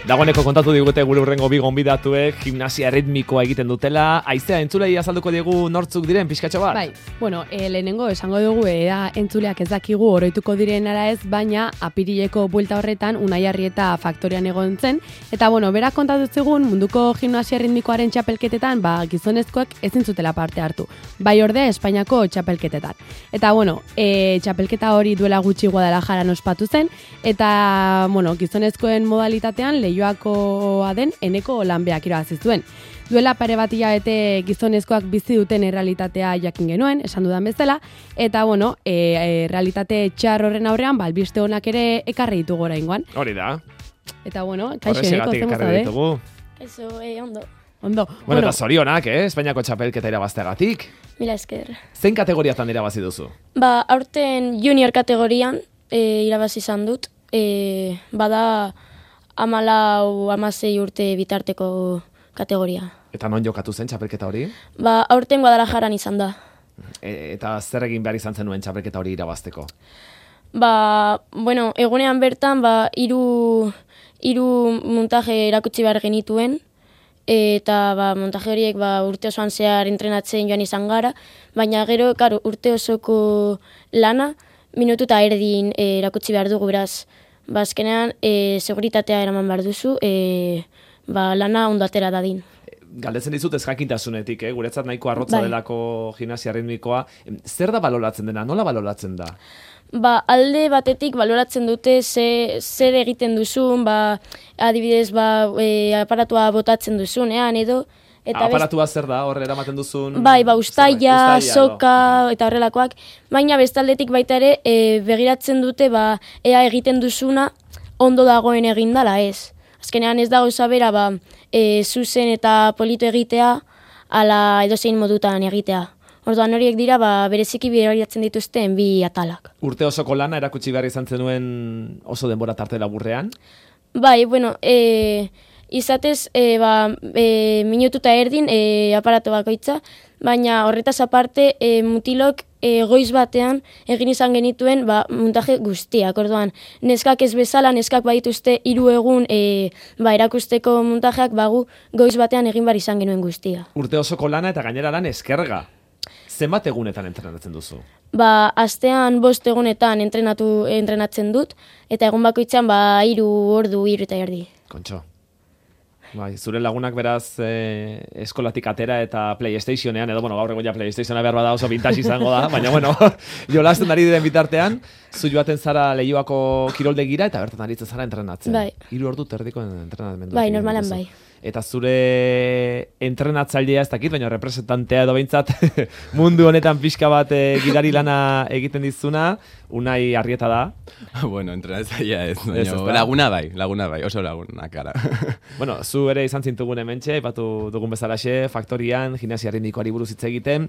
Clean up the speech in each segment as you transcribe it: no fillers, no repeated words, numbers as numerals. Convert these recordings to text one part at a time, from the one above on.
Dagoeneko kontatu digute gure urrengo bi gonbidatuek gimnasia ritmikoa egiten dutela. Aizea, entzulei azalduko diegu nortzuk diren pixkatxo bat? Bai, bueno, lehenengo esango dugu entzuleak ez dakigu oroituko diren ara ez, baina apirileko buelta horretan Unai Arrieta faktorian egon zen. Eta bueno, berak kontatu zigun munduko gimnasia ritmikoaren txapelketetan gizonezkoek ezin zutela parte hartu. Bai ordea Espainiako txapelketetan. Eta bueno, txapelketa hori duela gutxi Guadalajaran ospatu zen, eta bueno, gizonezkoen modalitatean Leioakoa den Eneko Lanbeak irabazi zuen. Duela pare bat hilabete gizonezkoak bizi duten errealitatea jakin genuen, esan dudan bezala, eta bueno, realitate txar horren aurrean, albiste honak ere ekarri ditugu oraingoan. Hori da. Eta bueno, kaixo Eneko, zen gozade? Eso, ondo. Ondo. Bueno, eta zorionak, Espainiako txapelketa irabazteagatik. Mila esker. Zein kategoriatan irabazi duzu? Aurten junior kategorian irabazi izan dut. Bada 14-16 urte bitarteko kategoria. Eta non jokatu zen txapelketa hori? Aurten Guadalajaran izan da. Eta zer egin behar izan zenuen txapelketa hori irabazteko? Bueno, egunean bertan, hiru montaje erakutsi behar genituen, eta montaje horiek urte osoan zehar entrenatzen joan izan gara, baina gero, urte osoko lana, minutu eta erdin erakutsi behar dugu, beraz, azkenean, seguritatea eraman behar duzu, lana ondo atera dadin. Galdetzen dizut ez jakintasunetik, guretzat nahiko arrotza delako gimnasia ritmikoa. Zer da baloratzen dena? Nola baloratzen da? Alde batetik baloratzen dute zer egiten duzun, adibidez, aparatua botatzen duzunean edo. Aparatua zer da, horre eramaten duzun? Ustaia, soka eta horrelakoak. Baina bestaldetik baita ere begiratzen dute ea egiten duzuna ondo dagoen egindala ez. Azkenean ez da gauza bera zuzen eta polito egitea ala edozein modutan egitea. Orduan horiek dira bereziki bideratzen dituzten bi atalak. Urte osoko lana erakutsi behar izan zenuen oso denbora tarte laburrean? Bueno, izatez minutu eta erdin aparato bakoitza, baina horretaz aparte mutilok goiz batean egin izan genituen montaje guztiak. Orduan, neskak ez bezala, neskak badituzte 3 egun erakusteko montajeak goiz batean egin bar izan genuen guztia. Urte osoko lana eta gainera lan eskerga. Zenbat egunetan entrenatzen duzu? Astean 5 egunetan entrenatzen dut, eta egun bakoitzan 3 ordu, 3 eta erdi. Kontxo. Zure lagunak beraz eskolatik atera eta PlayStationean, edo gaur egon ja PlayStationa behar bada oso vintage izango da, baina jolasten ari diren bitartean, zu joaten zara Leioako kiroldegira eta bertan aritzen zara entrenatzen. 3 ordu terdiko entrenamendu. Normalan bai. Eta zure entrenatzailea ez dakit, baina representantea edo behintzat mundu honetan pixka bat gidari lana egiten dizuna, Unai Arrieta da. Bueno, entrenatzailea ez, laguna bai, oso lagunak gara. Zu ere izan zintugun hementxe, aipatu dugun bezalaxe, faktorian, gimnasia ritmikoari buruz hitz egiten.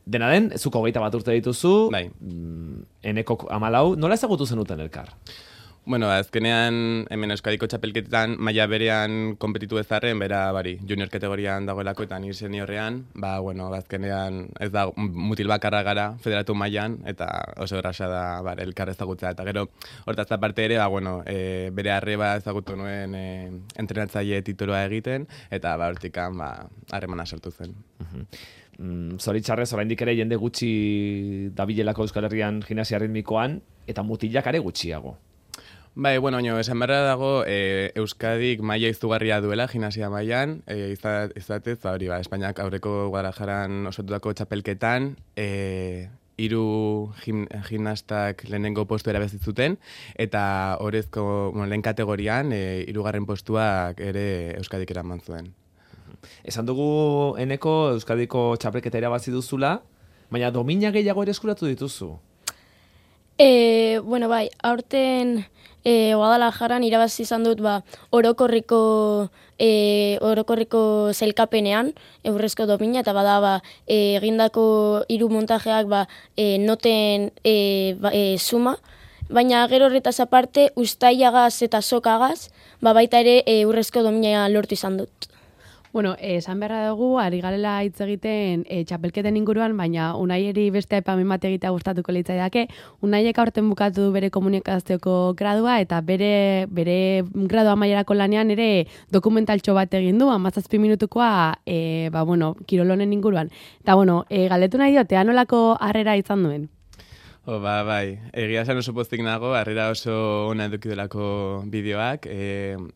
Dena den, zuko 21 urte dituzu, Eneko 14, nola ezagutu zenuten elkar? Bueno, azkenean, hemen Euskadiko txapelketetan maila berean konpetitu ezarren, junior kategorian dagoelako eta nire seniorrean, azkenean ez da mutil bakarra gara federatu mailan eta oso erraza da elkar ezagutza. Eta gero, hortaz aparte ere, bere arreba ezagutu nuen entrenatzaile titulua egiten, eta hortikan harremana sortu zen. Zoritxarrez, oraindik ere jende gutxi dabilelako Euskal Herrian gimnasia ritmikoan, eta mutilak are gutxiago. Esan beharra dago Euskadik maila izugarria duela gimnasia mailan, izatez, Espainiak aurreko Guadalajaran osotutako txapelketan, 3 gimnastak lehenengo postu erabazi zuten, eta orezko lehen kategorian 3. postuak ere Euskadik eraman zuen. Esan dugu Eneko Euskadiko txapelketa irabazi duzula, baina domina gehiago ere eskuratu dituzu? Aurten Guadalajaran irabazi izan dut orokorriko zelkapenean eurrezko domina, eta egindako 3 montajeak noten suma, baina gero horretaz aparte ustaiagaz eta sokagaz baita ere eurrezko domina lortu izan dut. Bueno, esan beharra dugu, ari garela hitz egiten txapelketen inguruan, baina Unaieri beste aipamen bat egitea gustatuko litzaidake. Unaiek aurten bukatu du bere komunikazioko gradua eta bere gradu amaierako lanean ere dokumentaltxo bat egin du, 17 minutukoa kirolonen inguruan. Eta galdetu nahi diote, anolako harrera izan duen? Bai, egia esan oso pozik nago, harrera oso ona eduki delako bideoak.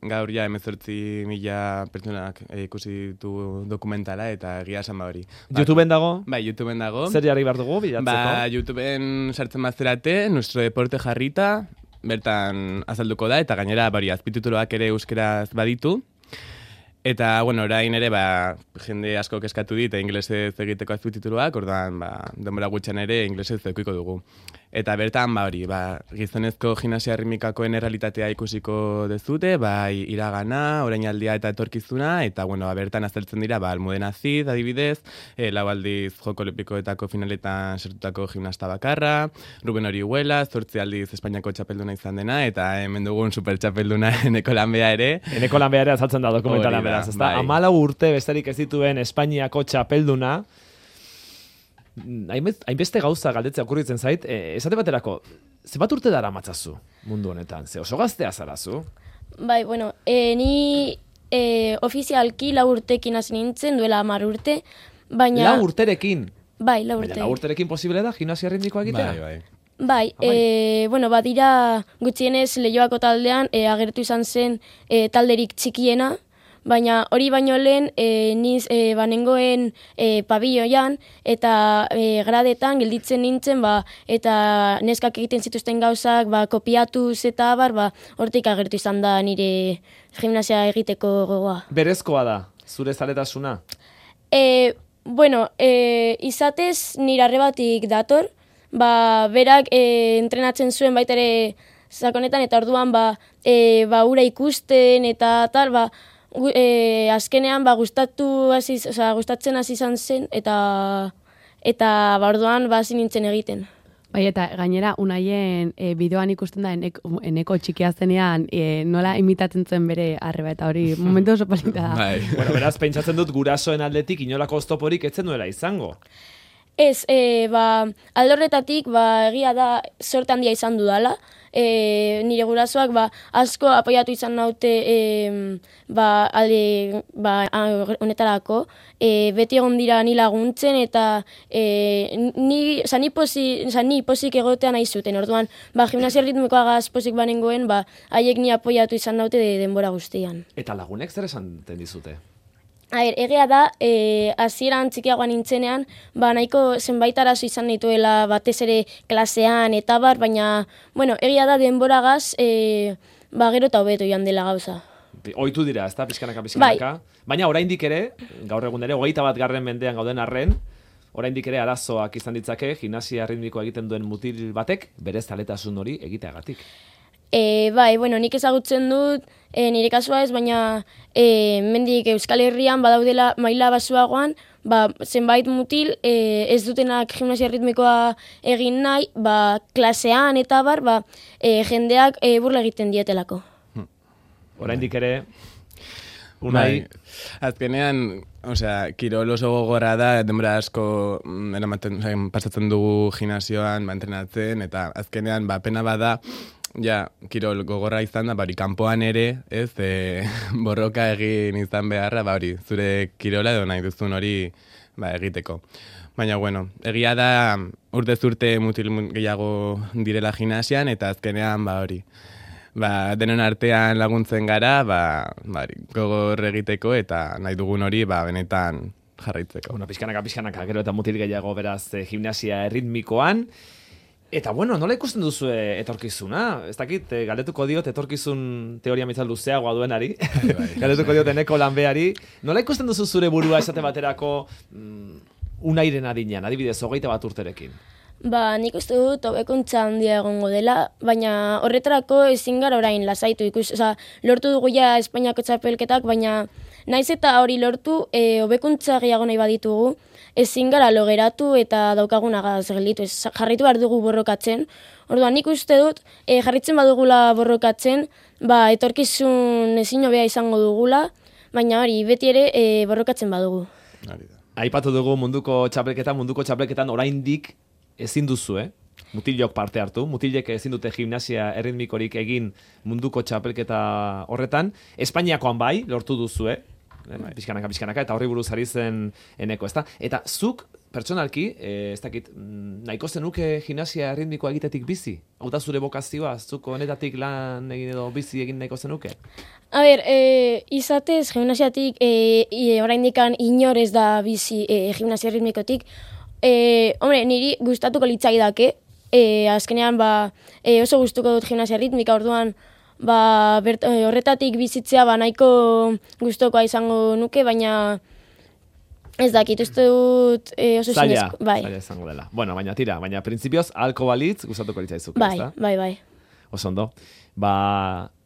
Gaur ja 18.000 pertsonak ikusi ditu dokumentala eta egia esan hori. YouTubeen dago? Bai, YouTubeen dago. Zer jarri behar dugu bilatzeko? YouTubeen sartzen bazterate, Nuestro Deporte jarrita, bertan azalduko da, eta gainera azpitituloak ere euskeraz baditu. Eta, orain ere, jende asko eskatu dit, inglesez egiteko azpitituluak, orduan, denbora gutxan ere inglesez edukiko dugu. Eta bertan, gizonezko gimnasia ritmikakoen errealitatea ikusiko dezute, iragana, orainaldia eta etorkizuna, eta, bertan azaltzen dira, Almudena Cid, adibidez, 4 aldiz Joko Olinpikoetako finaletan sartutako gimnasta bakarra, Ruben Orihuela, 8 aldiz Espainiako txapelduna izan dena, eta hemen dugun super txapelduna Eneko Lanbea ere. Eneko Lanbea ere azaltzen da dokumentalan beraz, ezta? 14 urte besterik ez dituen Espainiako txapelduna, hainbeste gauza galdetzea okurritzen zait, esate baterako, zenbat urte dara matzazu mundu honetan? Ze oso gaztea zarazu? Bai, ni ofizialki 4 urtekin hasi nintzen, duela 10 urte, baina... 4 urterekin? Bai, 4 urte. Baina 4 urterekin posible da gimnasia ritmikoa egitea? Bai, badira gutxienez Leioako taldean agertu izan zen talderik txikiena, baina hori baino lehen niz banengoen pabilloian eta gradetan gelditzen nintzen, eta neskak egiten zituzten gauzak kopiatuz eta hortik agertu izan da nire gimnasia egiteko gogoa. Berezkoa da, zure zaletasuna? Izatez nire arrebatik dator, berak entrenatzen zuen baita ere sakonetan, eta orduan ura ikusten eta tal, azkenean gustatzen hasi izan zen, eta orduan hasi nintzen egiten. Bai, eta gainera Unaien bideoan ikusten da eneko txikia zenean nola imitatzen zen bere arreba, eta hori momentu oso polita da. Beraz, pentsatzen dut gurasoen aldetik inolako oztoporik etzen duela izango. Ez, aldorretatik egia da sorte handia izan dudala. Nire gurasoak asko apoiatu izan naute honetarako. Beti egon dira ni laguntzen, eta ni posik egotea nahi zuten. Orduan, gimnasia ritmikoagaz posik banengoen, haiek ni apoiatu izan naute denbora guztian. Eta lagunek zer esan dizute? Egia da, hasieran txikiagoan nintzenean, nahiko zenbait arazo izan dituela batez ere klasean eta baina, egia da denboragaz, gero eta hobeto joan dela gauza. Ohitu dira, ez da, pizkanaka. Bai. Baina oraindik ere, gaur egun ere, 21. mendean gauden arren, oraindik ere arazoak izan ditzake, gimnasia ritmikoa egiten duen mutil batek, bere zaletasun hori egiteagatik. Nik ezagutzen dut, nire kasua ez, baina mendik Euskal Herrian badaudela maila basuagoan, zenbait mutil ez dutenak gimnasia ritmikoa egin nahi, klasean eta jendeak burla egiten dietelako. Oraindik ere, Unai... Azkenean, kirol oso gogorra da, denbora asko pasatzen dugu gimnasioan, entrenatzen, eta azkenean, pena bada, kirol gogorra izan da, kanpoan ere, ez, borroka egin izan beharra, zure kirola edo nahi duzun hori egiteko. Baina, egia da, urtez urte mutil gehiago direla gimnasian, eta azkenean, denon artean laguntzen gara, gogor egiteko, eta nahi dugun hori, benetan jarraitzeko. Pizkanaka, gero eta mutil gehiago beraz gimnasia ritmikoan. Eta, nola ikusten duzu etorkizuna? Ez dakit, galdetuko diot etorkizun teoria mitzal luzeagoa duenari. Galdetuko diot Eneko Lanbeari. Nola ikusten duzu zure burua esate baterako Unairen adinean, adibidez, 21 urterekin? Nik uste dut hobekuntza handia egongo dela, baina horretarako ezin gara orain lasaitu lortu dugu Espainiako txapelketak, baina naiz eta hori lortu hobekuntza gehiago nahi baditugu, ezin gara logeratu eta daukagunagaz gelditu, jarritu behar dugu borrokatzen. Orduan, nik uste dut, jarritzen badugula borrokatzen, etorkizun ezin hobea izango dugula, baina hori, beti ere borrokatzen badugu. Hori da. Aipatu dugu munduko txapelketan oraindik ezin duzu, mutilok parte hartu, mutilek ezin dute gimnasia erritmikorik egin munduko txapelketa horretan, Espainiakoan bai, lortu duzu, pixkanaka, eta horri buruz ari zen eneko, ezta? Eta zuk, pertsonalki, ez dakit, nahiko zenuke gimnasia erritmikoa egitetik bizi? Hau da zure bokazioa, zuk honetatik lan egin edo bizi egin nahiko zenuke? A ber, izatez, gimnasiatik, oraindikan inor ez da bizi gimnasia ritmikotik. Hombre, niri gustatuko litzaidake, azkenean oso gustuko dut gimnasia ritmika, orduan horretatik bizitzea nahiko gustokoa izango nuke, baina ez dakit, uste dut oso zinezko. Zaila izango dela. Bueno, baina printzipioz, ahalko balitz gustatuko litzaizuke, ezta? Bai. Oso ondo.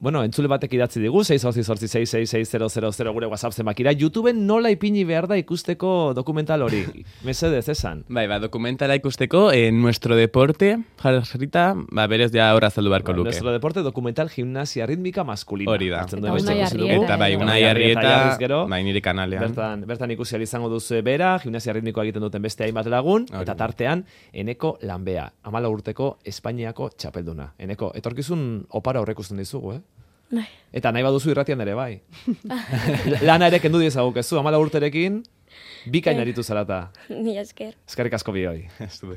Entzule batek idatzi digu, 688666000 gure WhatsApp zenbakira. YouTubeen nola ipini behar da ikusteko dokumental hori? Mesedez, esan. Bai, dokumentala ikusteko, Nuestro Deporte, jarrita, berez ja horra azaldu beharko luke. Nuestro Deporte, dokumental gimnasia rítmica masculina. Hori da. Eta Unai Arrieta, nire kanalean. Bertan ikusi ahal izango duzu bera, gimnasia ritmikoa egiten duten beste hainbat lagun, eta tartean, Eneko Lanbea, 14 urteko Espainiako txapelduna. Eneko, etorkizun opara horrekusten dizugu, Bai. Eta nahi baduzu irratian ere, bai. Lana ere kendu diezagukezu, 14 urterekin, bikain aritu zarata. Ni esker. Eskerrik asko bioi. Ez du